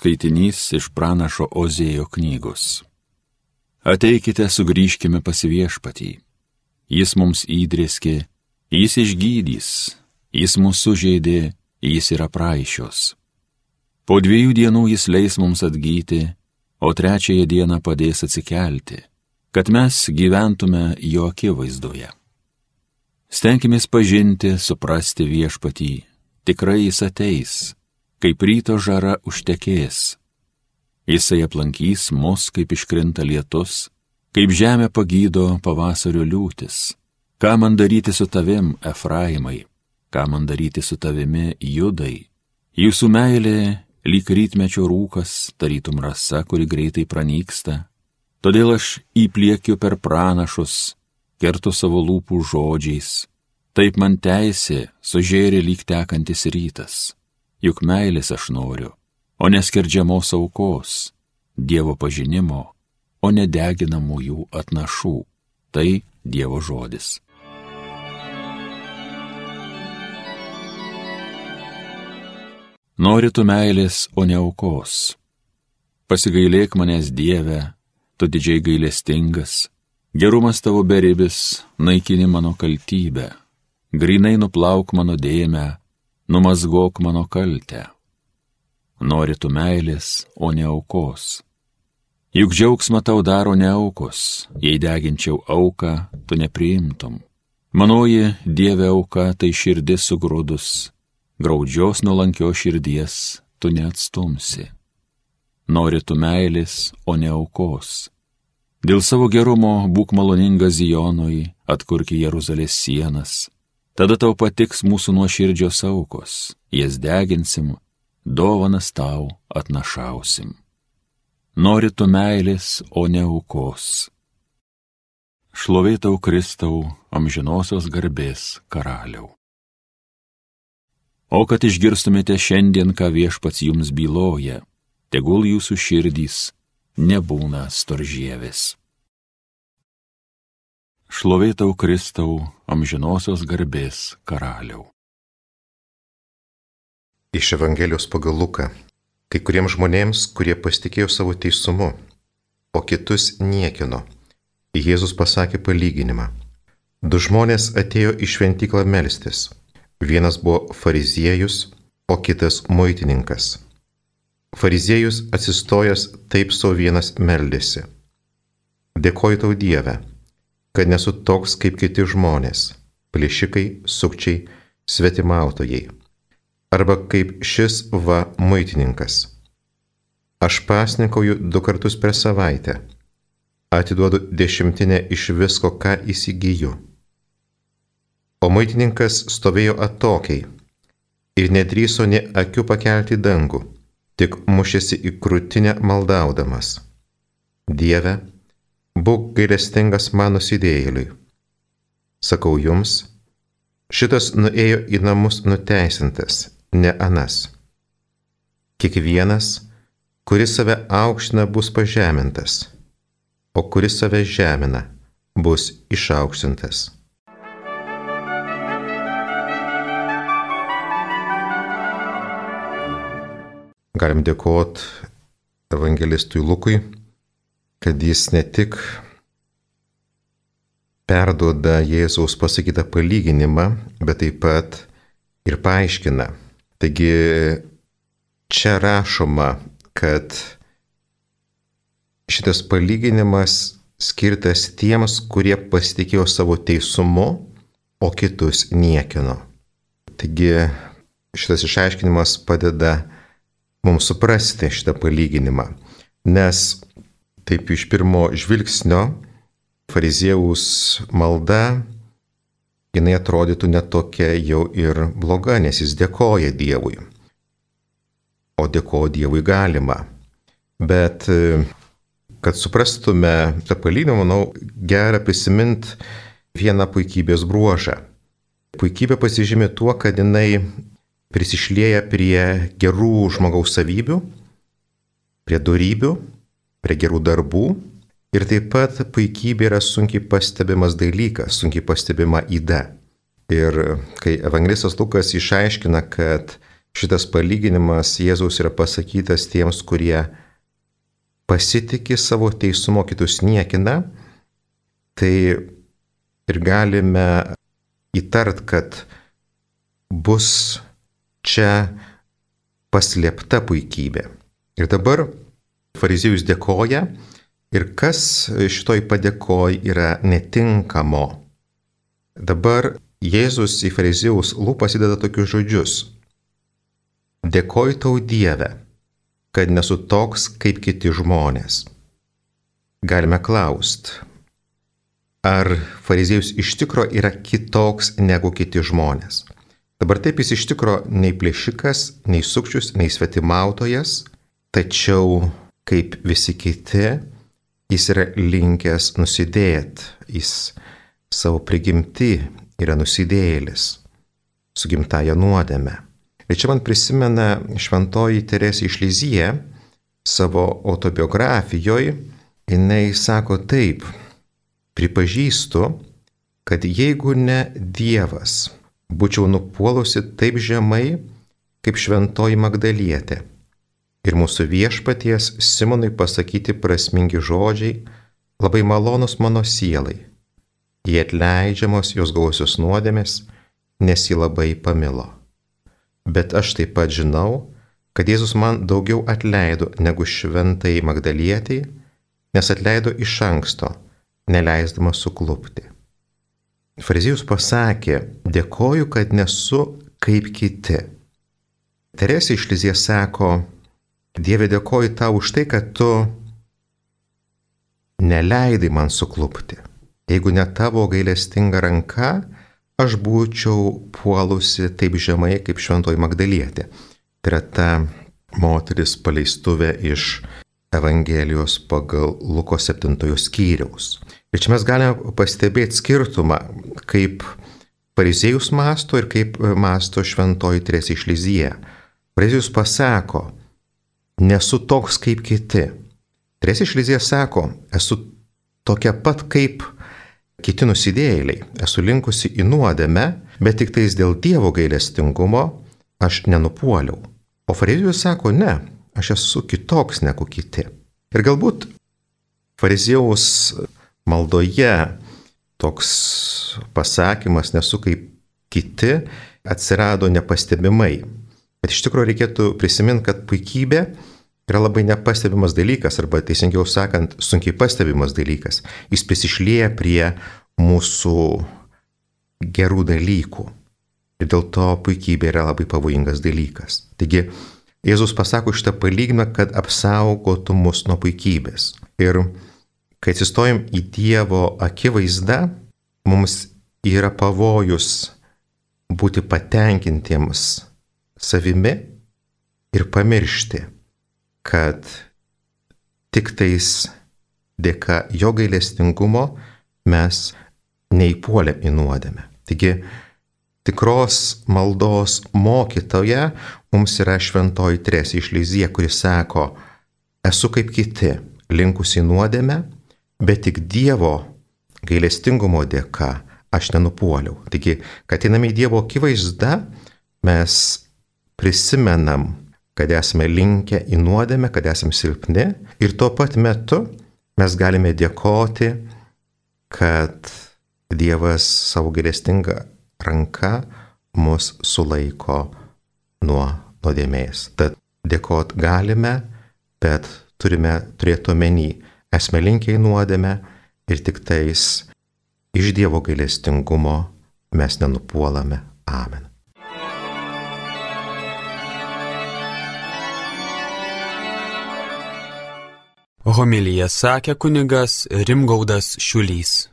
Skaitinys iš pranašo Ozėjo knygos. Ateikite, sugrįžkime pas Viešpatį. Jis mums įdrėskė, jis išgydys, jis mus sužeidė, jis yra praaišios. Po 2 dienų jis leis mums atgyti, o 3 dieną padės atsikelti, kad mes gyventume jo akivaizdoje. Stenkimės pažinti, suprasti Viešpatį, tikrai jis ateis, kaip ryto žara užtekės. Jisai aplankys mus, kaip iškrinta lietus, kaip žemė pagydo pavasario liūtis. Ką man daryti su tavim, Efraimai, ką man daryti su tavimi, Judai? Jūsų meilė lyg rytmečio rūkas, tarytum rasa, kuri greitai pranyksta. Todėl aš įpliekiu per pranašus, kertu savo lūpų žodžiais. Taip man teisė sužėrė lyg tekantis rytas. Juk meilės aš noriu, o neskerdžiamos aukos, Dievo pažinimo, o nedeginamųjų atnašų. Tai Dievo žodis. Nori tu meilės, o ne aukos. Pasigailėk manęs, Dieve, tu didžiai gailestingas. Gerumas tavo beribis, naikini mano kaltybę. Grynai nuplauk mano dėmę, numazgok mano kaltę. Nori tu meilės, o ne aukos. Juk džiaugsmą tau daro ne aukos, jei deginčiau auką, tu nepriimtum. Manoji Dieve auka, tai širdis sugrūdus, graudžios nuolankios širdies tu neatstumsi. Nori tu meilės, o ne aukos. Dėl savo gerumo būk maloningas Zionui, atkurki Jeruzalės sienas. Tada tau patiks mūsų nuoširdžios aukos, jas deginsim, dovanas tau atnašausim. Nori tu meilės, o ne aukos. Šlovė tau, Kristau, amžinosios garbės karaliau. O kad išgirstumėte šiandien, ką Viešpats jums byloja, tegul jūsų širdys nebūna storžievės. Šlovė tau, Kristau, amžinosios garbės karaliau. Iš Evangelijos pagal Luką. Kai kuriems žmonėms, kurie pasitikėjo savo teisumu, o kitus niekino, Jėzus pasakė palyginimą. 2 žmonės atėjo į šventyklą melstis. Vienas buvo fariziejus, o kitas muitininkas. Fariziejus atsistojęs taip sau vienas meldėsi. Dėkoju tau, Dieve, kad nesu toks kaip kiti žmonės, plėšikai, sukčiai, svetimautojai. Arba kaip šis muitininkas. Aš pasninkauju 2 kartus per savaitę. Atiduodu 10 iš visko, ką įsigyju. O muitininkas stovėjo atokiai ir nedrįso nė akių pakelti dangų, tik mušėsi į krūtinę maldaudamas. Dieve, būk gailestingas mano nusidėjėliui. Sakau jums, šitas nuėjo į namus nuteisintas, ne anas. Kiekvienas, kuris save aukština, bus pažemintas, o kuris save žemina, bus išaukštintas. Galim dėkoti evangelistui Lukui, kad jis ne tik perduoda Jėzaus pasakytą palyginimą, bet taip pat ir paaiškina. Taigi čia rašoma, kad šitas palyginimas skirtas tiems, kurie pasitikėjo savo teisumu, o kitus niekino. Taigi šitas išaiškinimas padeda mums suprasti šitą palyginimą, nes taip iš pirmo žvilgsnio fariziejaus malda, jinai atrodytų netokia jau ir bloga, nes jis dėkoja Dievui. O dėkoti Dievui galima. Bet kad suprastume tą palyginimą, manau, gera prisiminti vieną puikybės bruožą. Puikybė pasižymė tuo, kad jinai prisišlieja prie gerų žmogaus savybių, prie dorybių, prie gerų darbų. Ir taip pat puikybė yra sunkiai pastebimas dalykas, sunkiai pastebima yda. Ir kai evangelistas Lukas išaiškina, kad šitas palyginimas Jėzaus yra pasakytas tiems, kurie pasitikė savo teisumo, kitus niekina, tai ir galime įtart, kad bus čia paslėpta puikybė. Ir dabar fariziejus dėkoja, ir kas šitoj padėkoj yra netinkamo. Dabar Jėzus į fariziejaus lūpas įdeda tokius žodžius: dėkoju tau, Dieve, kad nesu toks kaip kiti žmonės. Galime klausti, ar fariziejus iš tikro yra kitoks negu kiti žmonės. Dabar taip jis iš tikro nei plėšikas, nei sukčius, nei svetimautojas, tačiau kaip visi kiti, jis yra linkęs nusidėti, jis savo prigimti yra nusidėjėlis, su gimtaja nuodėme. Ir čia man prisimena šventoji Teresė iš Lizije savo autobiografijoje, jinai sako taip: pripažįstu, kad jeigu ne Dievas, būčiau nupuolusi taip žemai, kaip šventoji Magdalietė. Ir mūsų viešpaties Simonui pasakyti prasmingi žodžiai labai malonus mano sielai. Jie atleidžiamos jos gausios nuodėmės, nes jį labai pamilo. Bet aš taip pat žinau, kad Jėzus man daugiau atleido negu šventai Magdalietei, nes atleido iš anksto, neleisdamas suklupti. Fariziejus pasakė: dėkoju, kad nesu kaip kiti. Teresė iš Lizijos sako: Dieve, dėkoju tau už tai, kad tu neleidai man suklupti. Jeigu ne tavo gailestinga ranka, aš būčiau puolusi taip žemai kaip šventoji Magdalietė. Tai yra ta moteris paleistuvė iš Evangelijos pagal Luko 7 skyriaus. Ir čia mes galime pastebėti skirtumą, kaip fariziejus mąsto ir kaip mąsto šventoji Teresė iš Lizije. Fariziejus pasako: nesu toks kaip kiti. Teresė iš Lizije sako: esu tokia pat kaip kiti nusidėjėliai, esu linkusi į nuodėmę, bet tik tais dėl Dievo gailestingumo aš nenupuoliau. O fariziejus sako: ne, aš esu kitoks negu kiti. Ir galbūt fariziejaus maldoje toks pasakymas nesu kaip kiti atsirado nepastebimai. Bet iš tikrųjų reikėtų prisiminti, kad puikybė yra labai nepastebimas dalykas, arba teisingiau sakant, sunkiai pastebimas dalykas. Jis prisišlieja prie mūsų gerų dalykų. Ir dėl to puikybė yra labai pavojingas dalykas. Taigi, Jėzus pasako šitą palyginimą, kad apsaugotų mus nuo puikybės. Ir kai atsistojam į Dievo akivaizdą, mums yra pavojus būti patenkintiems savimi ir pamiršti, kad tik tais dėka jo gailestingumo mes neįpuolėm į nuodėmę. Taigi, tikros maldos mokytoja mums yra šventoji Teresė iš Lizije, kuri sako: esu kaip kiti, linkusi į nuodėmę, bet tik Dievo gailestingumo dėka aš nenupuoliau. Taigi, kad einame į Dievo akivaizdą, mes prisimenam, kad esame linkę į nuodėmę, kad esame silpni, ir tuo pat metu mes galime dėkoti, kad Dievas savo gailestinga ranka mus sulaiko nuo nuodėmės. Tad dėkot galime, bet turime turėti omeny, esame linkę į nuodėmę ir tik tais iš Dievo gailestingumo mes nenupuolame. Amen. Homiliją sakė kunigas Rimgaudas Šiulys.